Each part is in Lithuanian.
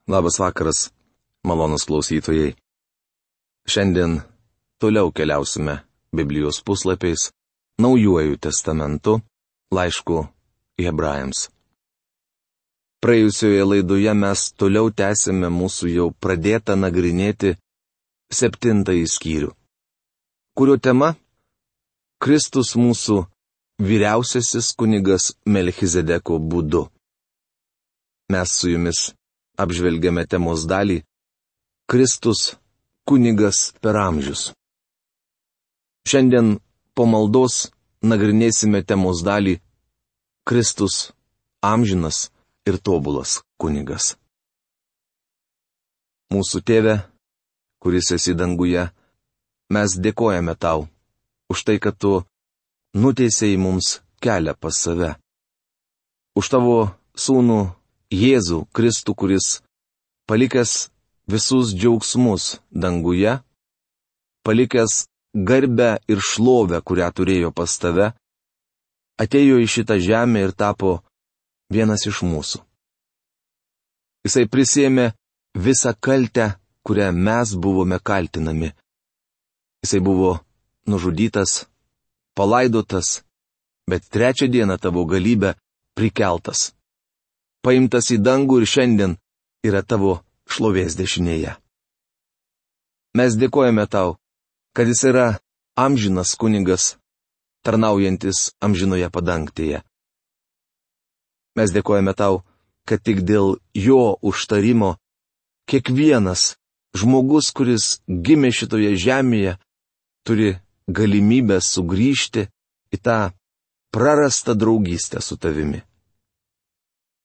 Labas vakaras, malonus klausytojai. Šiandien toliau keliausime Biblijos puslapiais, Naujuoju testamentu, laišku Hebrajams. Praėjusioje laidoje mes toliau tęsime mūsų jau pradėtą nagrinėti 7 skyrių, kurio tema - Kristus mūsų vyriausiasis kunigas Melchizedeko būdu. Mes su jumis apžvelgiame temos dalį - Kristus kunigas per amžius. Šiandien po maldos nagrinėsime temos dalį - Kristus amžinas ir tobulas kunigas. Mūsų Tėve, kuris esi danguje, mes dėkojame tau už tai, kad tu nuteisei mums kelią pas save. Už tavo sūnų Jėzų Kristų, kuris, palikęs visus džiaugsmus danguje, palikęs garbę ir šlovę, kurią turėjo pas tave, atėjo į šitą žemę ir tapo vienas iš mūsų. Jisai prisėmė visą kaltę, kurią mes buvome kaltinami. Jisai buvo nužudytas, palaidotas, bet 3 dieną tavo galybę prikeltas. Paimtas į dangų ir šiandien yra tavo šlovės dešinėje. Mes dėkojame tau, kad jis yra amžinas kunigas, tarnaujantis amžinoje padangtėje. Mes dėkojame tau, kad tik dėl jo užtarimo kiekvienas žmogus, kuris gimė šitoje žemėje, turi galimybę sugrįžti į tą prarastą draugystę su tavimi.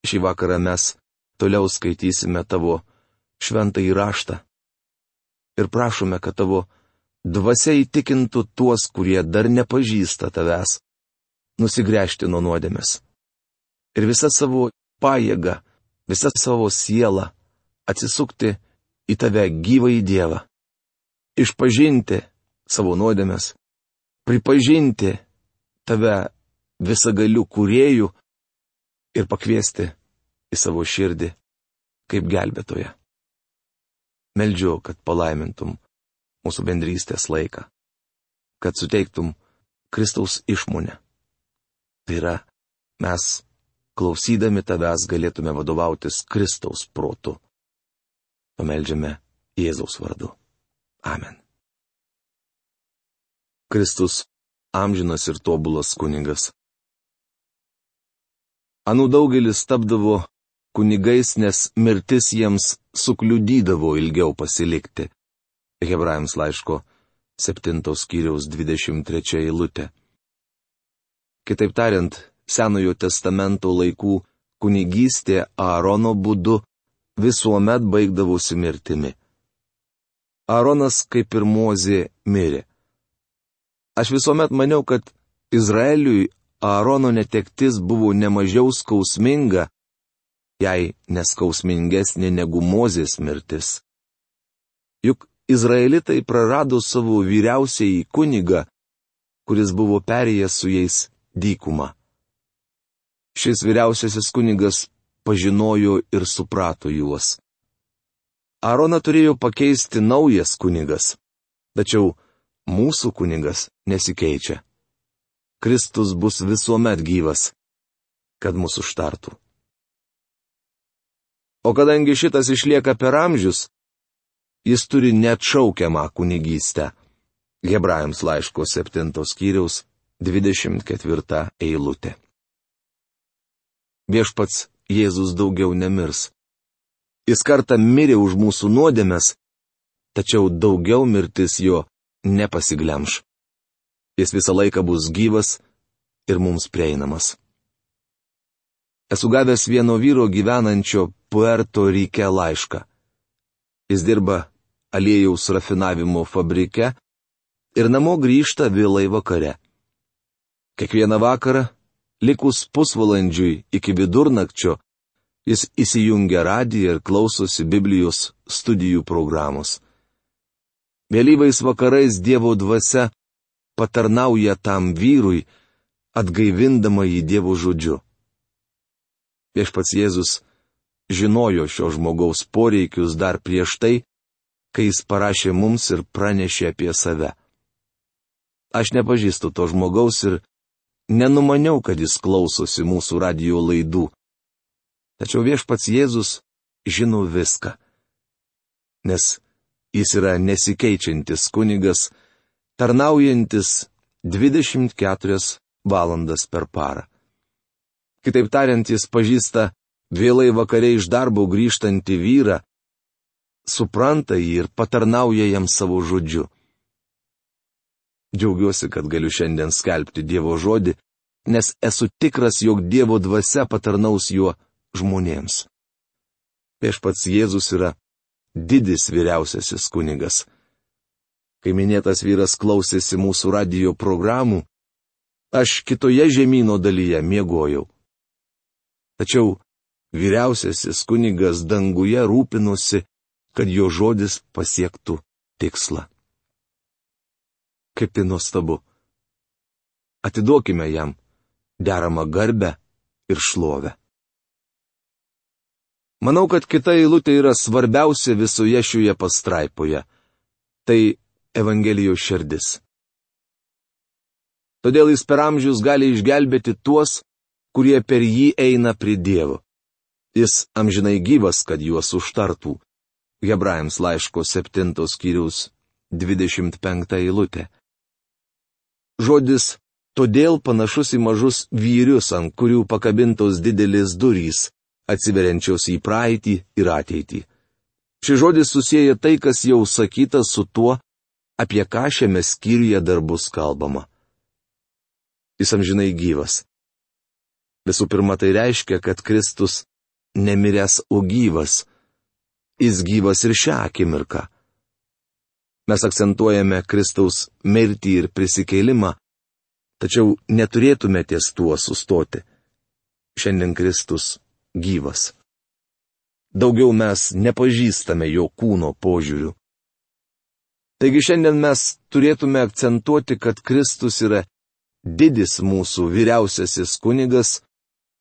Šį vakarą mes toliau skaitysime tavo šventąjį raštą ir prašome, kad tavo dvasia įtikintų tuos, kurie dar nepažįsta tavęs, nusigręžti nuo nuodėmės. Ir visą savo pajėgą, visą savo sielą atsisukti į tave gyvąjį Dievą. Išpažinti savo nuodėmės, pripažinti tave visagaliu kūrėju ir pakviesti į savo širdį kaip gelbėtoją. Meldžiu, kad palaimintum mūsų bendrystės laiką, kad suteiktum Kristaus išmonę. Tai yra, mes, klausydami tavęs, galėtume vadovautis Kristaus protu. Pameldžiame Jėzaus vardu. Amen. Kristus amžinas ir tobulas kunigas. Anų daugelis tapdavo kunigais, nes mirtis jiems sukliudydavo ilgiau pasilikti. Hebrajams laiško 7 skyriaus 23 eilutė. Kitaip tariant, Senojo testamento laikų kunigystė Aarono būdu visuomet baigdavosi mirtimi. Aaronas, kaip ir Mozė, mirė. Aš visuomet maniau, kad Izraeliui Aarono netektis buvo nemažiau skausminga, jei neskausmingesnė negu Mozės mirtis. Juk izraelitai prarado savo vyriausiąjį kunigą, kuris buvo perėjęs su jais dykumą. Šis vyriausiasis kunigas pažinojo ir suprato juos. Aaroną turėjo pakeisti naujas kunigas, tačiau mūsų kunigas nesikeičia. Kristus bus visuomet gyvas, kad mūsų užtartų. O kadangi šitas išlieka per amžius, jis turi neatšaukiamą kunigystę. Hebrajams laiško 7 skyriaus 24 eilutė. Viešpats Jėzus daugiau nemirs. Jis kartą mirė už mūsų nuodėmes, tačiau daugiau mirtis jo nepasiglemš. Jis visą laiką bus gyvas ir mums prieinamas. Esu gavęs vieno vyro gyvenančio Puerto Rike laišką. Jis dirba aliejaus rafinavimo fabrike ir namo grįžta vėlai vakare. Kiekvieną vakarą, likus pusvalandžiui iki vidurnakčio, jis įsijungia radiją ir klausosi Biblijos studijų programos. Vėlyvais vakarais Dievo dvasia patarnauja tam vyrui, atgaivindama jį Dievo žodžiu. Viešpats Jėzus žinojo šio žmogaus poreikius dar prieš tai, kai jis parašė mums ir pranešė apie save. Aš nepažįstu to žmogaus ir nenumaniau, kad jis klausosi mūsų radijo laidų. Tačiau viešpats Jėzus žino viską. Nes jis yra nesikeičiantis kunigas, tarnaujantis 24 valandas per parą. Kitaip tariant, jis pažįsta vėlai vakare iš darbo grįžtantį vyrą, supranta jį ir patarnauja jam savo žodžiu. Džiaugiuosi, kad galiu šiandien skelbti Dievo žodį, nes esu tikras, jog Dievo dvasia patarnaus juo žmonėms. Viešpats Jėzus yra didis vyriausiasis kunigas. Kai minėtas vyras klausėsi mūsų radijo programų, aš kitoje žemyno dalyje miegojau. Tačiau vyriausiasis kunigas danguje rūpinosi, kad jo žodis pasiektų tikslą. Kaip tai nuostabu. Atiduokime jam deramą garbę ir šlovę. Manau, kad kita eilutė yra svarbiausia visoje šioje pastraipoje. Tai Evangelijos širdis. Todėl jis per amžius gali išgelbėti tuos, kurie per jį eina prie Dievo. Jis amžinai gyvas, kad juos užtartų. Hebrajams laiško 7 skyriaus 25 eilutė. Žodis todėl panašus į mažus vyrius, ant kurių pakabintos didelės durys, atsiveriančios į praeitį ir ateitį. Šis žodis susieja tai, kas jau sakyta, su tuo, apie ką šiame skyriuje dar bus kalbama. Jis amžinai gyvas. Visų pirma, tai reiškia, kad Kristus nemiręs, o gyvas. Jis gyvas ir šią akimirką. Mes akcentuojame Kristaus mirtį ir prisikėlimą, tačiau neturėtume ties tuo sustoti. Šiandien Kristus gyvas. Daugiau mes nepažįstame jo kūno požiūrių. Taigi šiandien mes turėtume akcentuoti, kad Kristus yra didis mūsų vyriausiasis kunigas,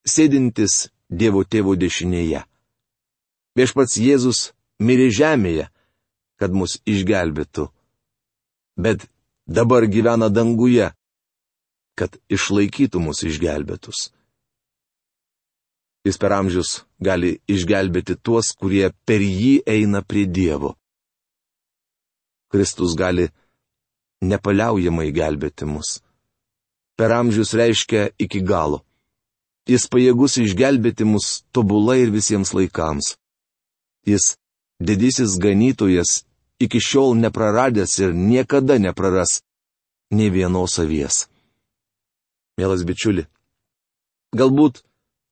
sėdintis Dievo Tėvo dešinėje. Viešpats Jėzus mirė žemėje, kad mus išgelbėtų, bet dabar gyvena danguje, kad išlaikytų mus išgelbėtus. Jis per amžius gali išgelbėti tuos, kurie per jį eina prie Dievo. Kristus gali nepaliaujamai gelbėti mus. Per amžius reiškia iki galo. Jis pajėgus išgelbėti mus tobulai ir visiems laikams. Jis didysis ganytojas, iki šiol nepraradęs ir niekada nepraras nė vienos avies. Mielas bičiuli, galbūt,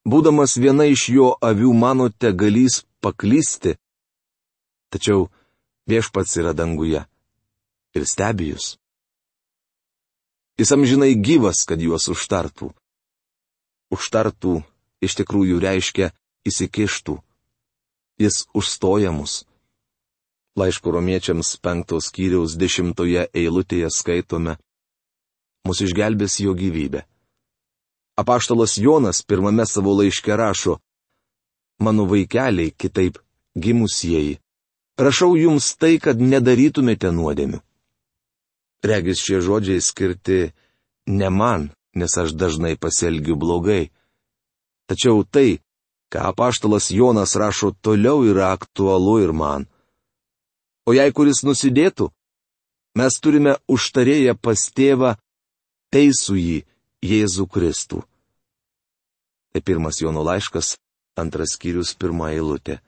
būdamas viena iš jo avių, manote galys paklysti, tačiau viešpats yra danguje ir stebi jus. Jis amžinai gyvas, kad juos užtartų. Užtartų iš tikrųjų reiškia įsikištų. Jis užstoja mus. Laiško Romiečiams 5 skyriaus 10 eilutėje skaitome: Mus išgelbės jo gyvybė. Apaštalas Jonas pirmame savo laiške rašo: Mano vaikeliai, kitaip gimusieji, rašau jums tai, kad nedarytumėte nuodėmių. Regis šie žodžiai skirti ne man, nes aš dažnai pasielgiu blogai. Tačiau tai, ką apaštalas Jonas rašo toliau, yra aktualu ir man. O jei kuris nusidėtų, mes turime užtarėję pas tėvą teisųjį Jėzų Kristų. Tai 1 Jono laiškas, 2 skyrius, 1 eilutė.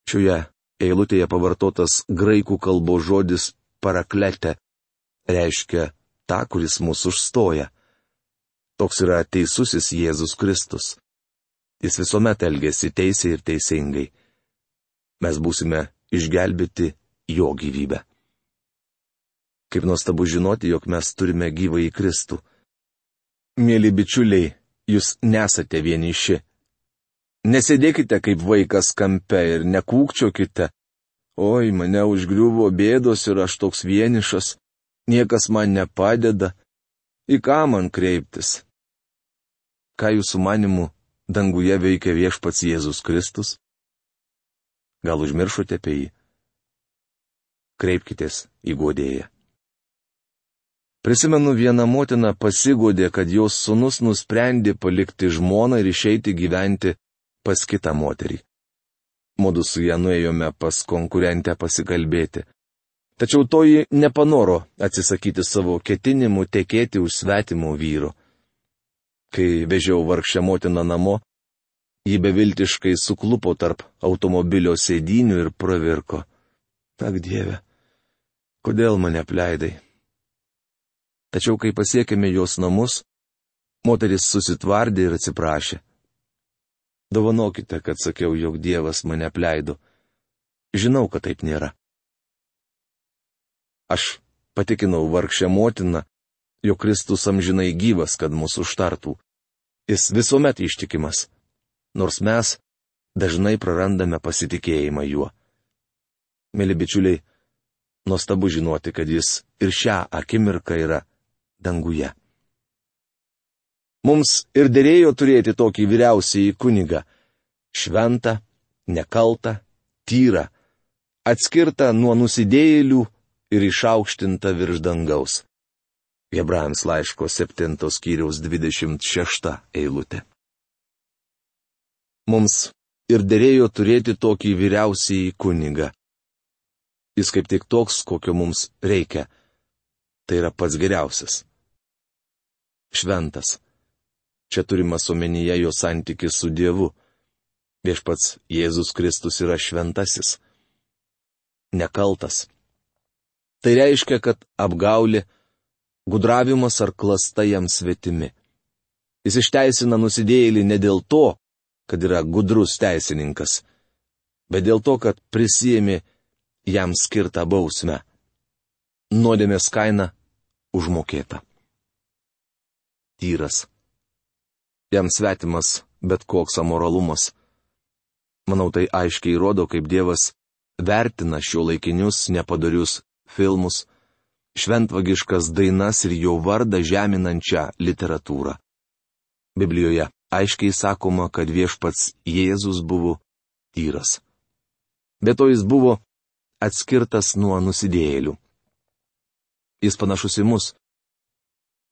Šioje eilutėje pavartotas graikų kalbos žodis paraklete reiškia tą, kuris mūsų užstoja. Toks yra teisusis Jėzus Kristus. Jis visuomet elgėsi teisiai ir teisingai. Mes būsime išgelbėti jo gyvybę. Kaip nuostabu žinoti, jog mes turime gyvąjį Kristų. Mėly bičiuliai, jūs nesate vieniši. Nesėdėkite kaip vaikas kampe ir nekūkčiokite: Oi, mane užgriuvo bėdos ir aš toks vienišas, niekas man nepadeda, į ką man kreiptis? Ką jūsų manimu danguje veikia viešpats Jėzus Kristus? Gal užmiršote apie jį? Kreipkitės į guodėją. Prisimenu, viena motina pasigodė, kad jos sūnus nusprendė palikti žmoną ir išeiti gyventi pas kitą moterį. Mudu su ją nuėjome pas konkurentę pasikalbėti. Tačiau toji nepanoro atsisakyti savo ketinimų tekėti už svetimų vyrų. Kai vežiau vargšę motiną namo, ji beviltiškai suklupo tarp automobilio sėdynių ir pravirko. Ak Dieve, kodėl mane apleidai? Tačiau kai pasiekėme jos namus, moteris susitvardė ir atsiprašė. Dovanokite, kad sakiau, jog Dievas mane apleido. Žinau, kad taip nėra. Aš patikinau vargšę motiną, jog Kristus amžinai gyvas, kad mūsų užtartų. Jis visuomet ištikimas, nors mes dažnai prarandame pasitikėjimą juo. Mėly bičiuliai, nuostabu žinoti, kad jis ir šią akimirką yra danguje. Mums ir derėjo turėti tokį vyriausiąjį kunigą - šventą, nekaltą, tyrą, atskirtą nuo nusidėjėlių ir išaukštintą virš dangaus. Hebrajams laiško 7 skyriaus 26 eilutė. Mums ir derėjo turėti tokį vyriausiąjį kunigą. Jis kaip tik toks, kokio mums reikia. Tai yra pats geriausias. Šventas. Čia turimas omenyje jo santykis su Dievu. Viešpats Jėzus Kristus yra šventasis. Nekaltas. Tai reiškia, kad apgaulė, gudravimas ar klasta jam svetimi. Jis išteisina nusidėjėlį ne dėl to, kad yra gudrus teisininkas, bet dėl to, kad prisijėmė jam skirtą bausmę. Nuodėmės kaina užmokėta. Tyras. Jam svetimas bet koks amoralumas. Manau, tai aiškiai rodo, kaip Dievas vertina šiuolaikinius nepadorius filmus, šventvagiškas dainas ir jo vardą žeminančią literatūrą. Biblijoje aiškiai sakoma, kad viešpats Jėzus buvo tyras. Be to jis buvo atskirtas nuo nusidėjėlių. Jis panašus į mus,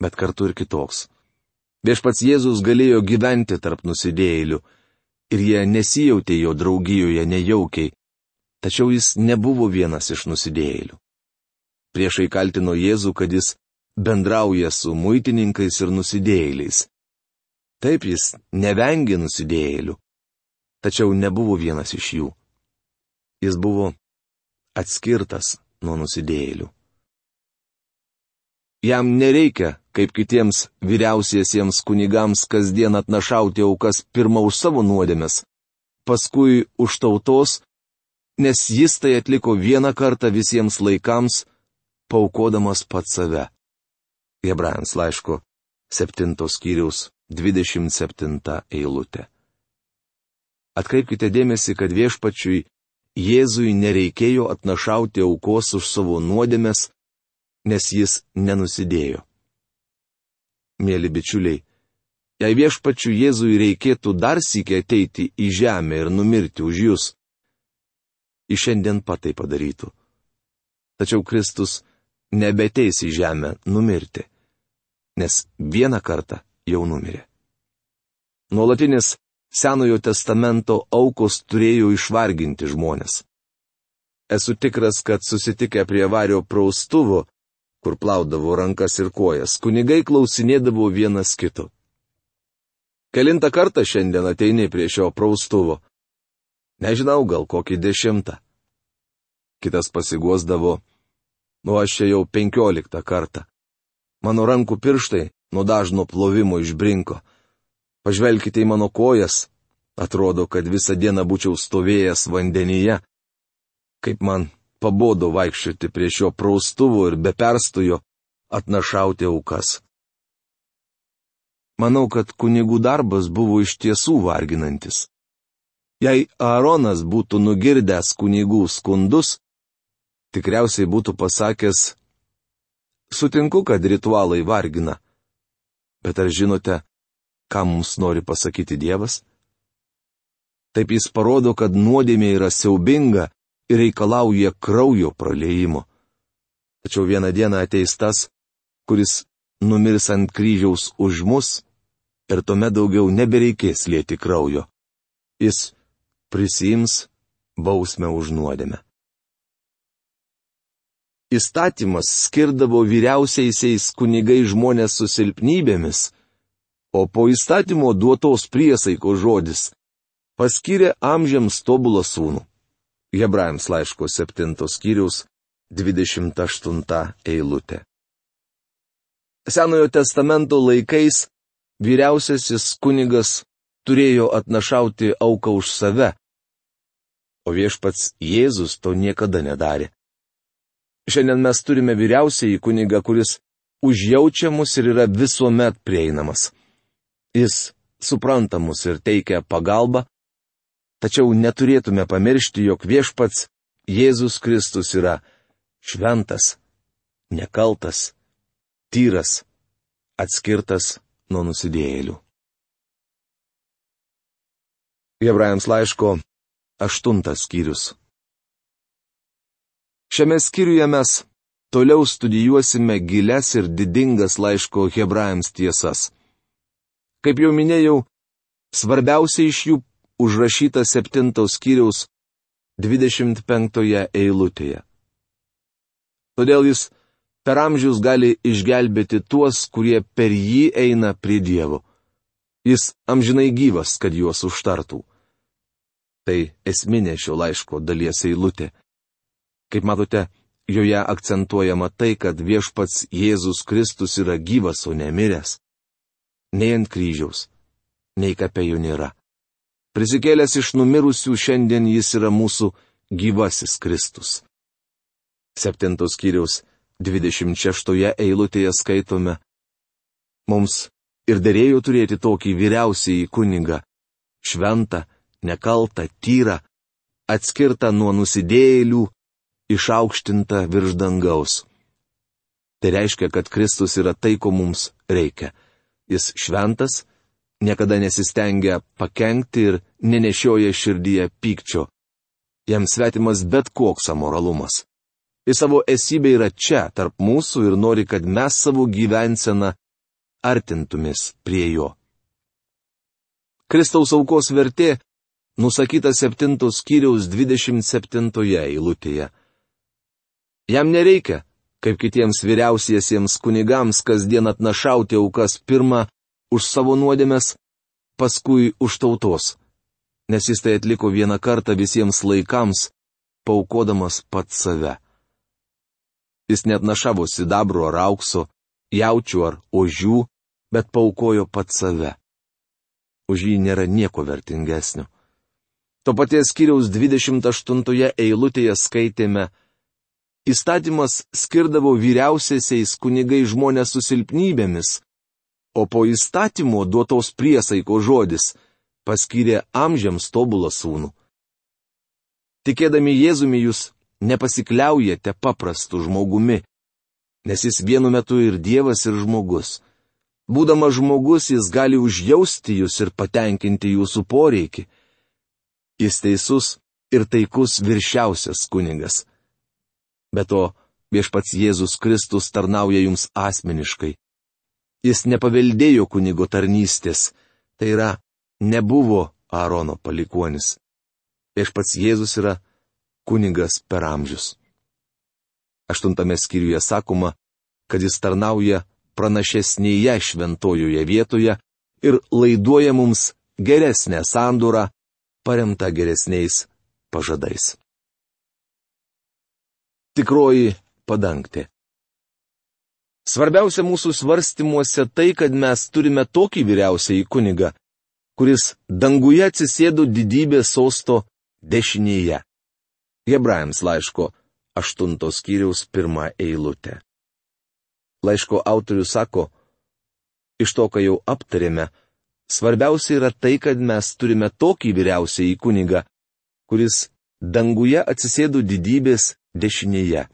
bet kartu ir kitoks. Viešpats Jėzus galėjo gyventi tarp nusidėjėlių ir jie nesijautė jo draugijoje nejaukiai, tačiau jis nebuvo vienas iš nusidėjėlių. Priešai kaltino Jėzų, kad jis bendrauja su muitininkais ir nusidėjėliais. Taip, jis nevengė nusidėjėlių, tačiau nebuvo vienas iš jų. Jis buvo atskirtas nuo nusidėjėlių. Jam nereikia, kaip kitiems vyriausiesiems kunigams, kasdien atnašauti aukas pirmą už savo nuodėmes, paskui už tautos, nes jis tai atliko vieną kartą visiems laikams, paaukodamas pats save. Hebrajams laiško 7 skyriaus 27 eilutė. Atkreipkite dėmesį, kad viešpačiui Jėzui nereikėjo atnašauti aukos už savo nuodėmes, nes jis nenusidėjo. Mėly bičiuliai, jei viešpačiui Jėzui reikėtų dar sykį ateiti į žemę ir numirti už jūs, jis šiandien pat tai padarytų. Tačiau Kristus nebeteis į žemę numirti, nes vieną kartą jau numirė. Nuolatinis Senojo testamento aukos turėjo išvarginti žmonės. Esu tikras, kad susitikę prie vario praustuvo, kur plaudavo rankas ir kojas, kunigai klausinėdavo vienas kito. Kelintą kartą šiandien ateini prie šio praustuvo? Nežinau, gal kokį 10. Kitas pasiguosdavo, aš čia jau 15 kartą. Mano rankų pirštai nuo dažno plovimo išbrinko. Pažvelkite į mano kojas. Atrodo, kad visą dieną būčiau stovėjęs vandenyje. Kaip man pabodo vaikščioti prie šio praustuvo ir be perstojo atnašauti aukas. Manau, kad kunigų darbas buvo iš tiesų varginantis. Jei Aaronas būtų nugirdęs kunigų skundus, tikriausiai būtų pasakęs, sutinku, kad ritualai vargina. Bet ar žinote, ką mums nori pasakyti Dievas? Taip jis parodo, kad nuodėmė yra siaubinga ir reikalauja kraujo praliejimo. Tačiau vieną dieną ateis tas, kuris numirs ant kryžiaus už mus, ir tuomet daugiau nebereikės lieti kraujo. Jis prisiims bausmę už nuodėmę. Įstatymas skirdavo vyriausiaisiais kunigai žmonės su silpnybėmis, o po įstatymo duotos priesaikos žodis paskyrė amžiams tobulą sūnų. Hebrajams laiško 7 skyriaus 28 eilutė. Senojo testamento laikais vyriausiasis kunigas turėjo atnašauti auką už save, o viešpats Jėzus to niekada nedarė. Šiandien mes turime vyriausiąjį kunigą, kuris užjaučia mus ir yra visuomet prieinamas. Jis supranta mus ir teikia pagalbą, tačiau neturėtume pamiršti, jog viešpats Jėzus Kristus yra šventas, nekaltas, tyras, atskirtas nuo nusidėjėlių. Hebrajams laiško 8 skyrius. Šiame skyriuje mes toliau studijuosime gilias ir didingas laiško Hebrajams tiesas. Kaip jau minėjau, svarbiausia iš jų užrašyta 7 skyriaus 25 eilutėje. Todėl jis per amžius gali išgelbėti tuos, kurie per jį eina prie Dievo. Jis amžinai gyvas, kad juos užtartų. Tai esminė šio laiško dalies eilutė. Kaip matote, joje akcentuojama tai, kad viešpats Jėzus Kristus yra gyvas, o ne miręs. Nei ant kryžiaus, nei kape jo nėra. Prisikėlęs iš numirusių šiandien jis yra mūsų gyvasis Kristus. 7 skyriaus 26 eilutėje skaitome: Mums ir derėjo turėti tokį vyriausiąjį kunigą, šventą, nekaltą, tyrą, atskirtą nuo nusidėjėlių, išaukštintą virš dangaus. Tai reiškia, kad Kristus yra tai, ko mums reikia. Jis šventas, niekada nesistengia pakenkti ir nenešioja širdyje pykčio. Jam svetimas bet koks amoralumas. Jis savo esybė yra čia, tarp mūsų ir nori, kad mes savo gyvenseną artintumės prie jo. Kristaus aukos vertė nusakyta 7 skyriaus 27 eilutėje. Jam nereikia, kaip kitiems vyriausiesiems kunigams, kasdien atnašauti aukas pirmą už savo nuodėmes, paskui už tautos, nes jis tai atliko vieną kartą visiems laikams, paaukodamas pats save. Jis neatnašavo sidabro ar aukso, jaučių ar ožių, bet paaukojo pats save. Už jį nėra nieko vertingesnio. To paties skyriaus 28 eilutėje skaitėme: Įstatymas skirdavo vyriausiaisiais kunigai žmonės su silpnybėmis, o po įstatymo duotos priesaikos žodis paskyrė amžiams tobulą sūnų. Tikėdami Jėzumi jūs nepasikliaujate paprastu žmogumi, nes jis vienu metu ir Dievas, ir žmogus. Būdamas žmogus, jis gali užjausti jūs ir patenkinti jūsų poreikį. Jis teisus ir taikus viršiausias kunigas. Be to, viešpats Jėzus Kristus tarnauja jums asmeniškai. Jis nepaveldėjo kunigo tarnystės, tai yra, nebuvo Aarono palikuonis. Viešpats Jėzus yra kunigas per amžius. 8 skyriuje sakoma, kad jis tarnauja pranašesnėje šventojoje vietoje ir laiduoja mums geresnę sandorą, paremtą geresniais pažadais. Tikroji padangtė. Svarbiausia mūsų svarstymuose tai, kad mes turime tokį vyriausiąjį kunigą, kuris danguje atsisėdo didybės sosto dešinėje. Hebrajams laiško 8 skyriaus 1 eilutė. Laiško autorius sako: iš to, ką jau aptarėme, svarbiausia yra tai, kad mes turime tokį vyriausiąjį kunigą, kuris danguje atsisėdo didybės dešinėje.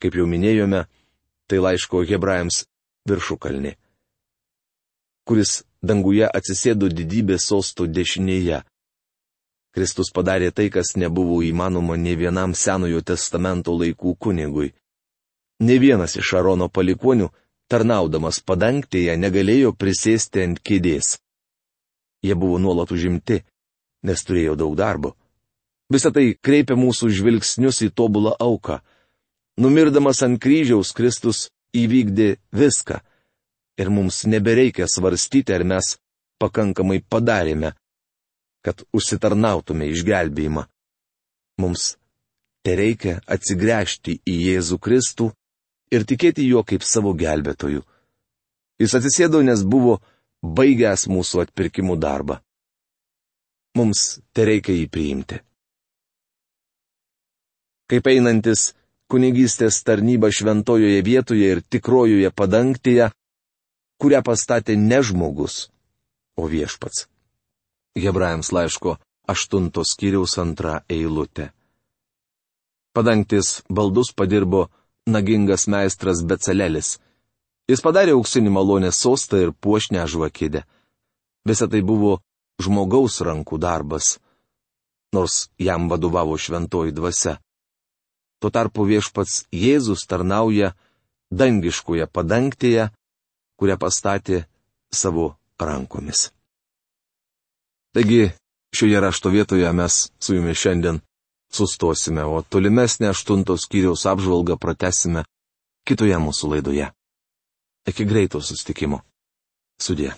Kaip jau minėjome, tai laiško Hebrajams viršukalnė. Kuris danguje atsisėdo didybės sosto dešinėje. Kristus padarė tai, kas nebuvo įmanoma nei vienam Senojo testamento laikų kunigui. Ne vienas iš Arono palikuonių, tarnaudamas padangtėje, negalėjo prisėsti ant kėdės. Jie buvo nuolat užimti, nes turėjo daug darbo. Visą tai kreipia mūsų žvilgsnius į tobulą auką. Numirdamas ant kryžiaus, Kristus įvykdė viską. Ir mums nebereikia svarstyti, ar mes pakankamai padarėme, kad užsitarnautume išgelbėjimą. Mums tereikia atsigręžti į Jėzų Kristų ir tikėti juo kaip savo gelbėtoju. Jis atsisėdo, nes buvo baigęs mūsų atpirkimų darbą. Mums tereikia jį priimti. Kaip einantis kunigystės tarnyba šventojoje vietoje ir tikrojoje padangtėje, kurią pastatė ne žmogus, o viešpats. Hebrajams laiško 8 skyriaus 2 eilutė. Padangtės baldus padirbo nagingas meistras Becalelis. Jis padarė auksinį malonės sostą ir puošnę žvakidę. Visa tai buvo žmogaus rankų darbas, nors jam vadovavo šventoji dvasia. Tuo tarpu viešpats Jėzus tarnauja dangiškoje padangtėje, kurią pastatė savo rankomis. Taigi, šioje rašto vietoje mes su jumis šiandien sustosime, o tolimesnę 8 skyriaus apžvalgą pratęsime kitoje mūsų laidoje. Iki greito susitikimo. Sudie.